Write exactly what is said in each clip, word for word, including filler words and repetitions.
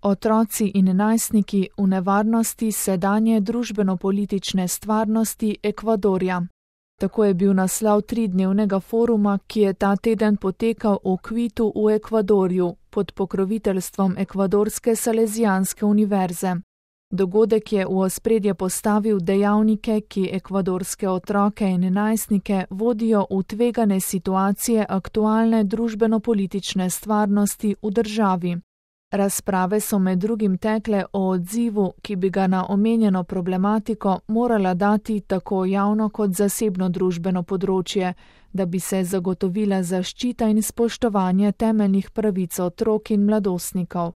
Otroci in najstniki v nevarnosti sedanje družbeno-politične stvarnosti Ekvadorja. Tako je bil naslov tridnevnega foruma, ki je ta teden potekal v Kvitu v Ekvadorju pod pokroviteljstvom Ekvadorske Salezijanske univerze. Dogodek je v ospredje postavil dejavnike, ki ekvadorske otroke in najstnike vodijo v tvegane situacije aktualne družbeno-politične stvarnosti v državi. Razprave so med drugim tekle o odzivu, ki bi ga na omenjeno problematiko morala dati tako javno kot zasebno družbeno področje, da bi se zagotovila zaščita in spoštovanje temeljnih pravic otrok in mladostnikov.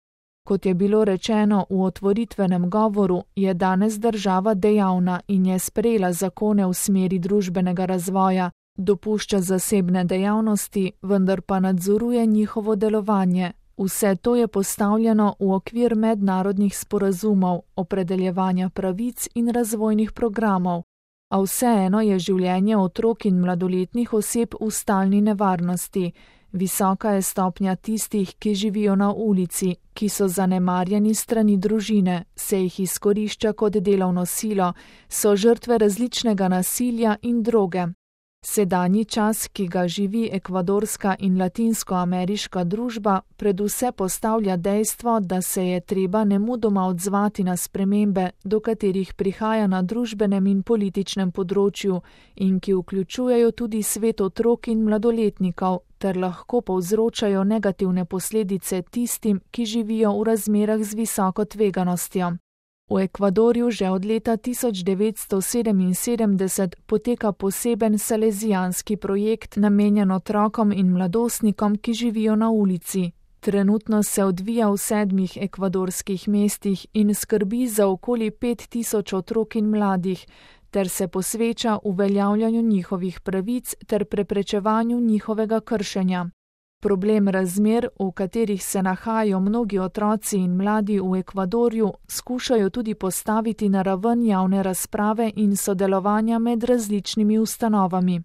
Kot je bilo rečeno v otvoritvenem govoru, je danes država dejavna in je sprejela zakone v smeri družbenega razvoja, dopušča zasebne dejavnosti, vendar pa nadzoruje njihovo delovanje. Vse to je postavljeno v okvir mednarodnih sporazumov, opredeljevanja pravic in razvojnih programov, a vseeno je življenje otrok in mladoletnih oseb v stalni nevarnosti. Visoka je stopnja tistih, ki živijo na ulici, ki so zanemarjeni strani družine, se jih izkorišča kot delovno silo, so žrtve različnega nasilja in droge. Sedanji čas, ki ga živi ekvadorska in latinskoameriška družba, predvse postavlja dejstvo, da se je treba nemudoma odzvati na spremembe, do katerih prihaja na družbenem in političnem področju in ki vključujejo tudi svet otrok in mladoletnikov, ter lahko povzročajo negativne posledice tistim, ki živijo v razmerah z visoko tveganostjo. V Ekvadorju že od leta tisoč devetsto sedeminsedemdeset poteka poseben salezijanski projekt namenjen otrokom in mladostnikom, ki živijo na ulici. Trenutno se odvija v sedmih ekvadorskih mestih in skrbi za okoli pet tisoč otrok in mladih, ter se posveča uveljavljanju njihovih pravic ter preprečevanju njihovega kršenja. Problem razmer, v katerih se nahajajo mnogi otroci in mladi v Ekvadorju, skušajo tudi postaviti na raven javne razprave in sodelovanja med različnimi ustanovami.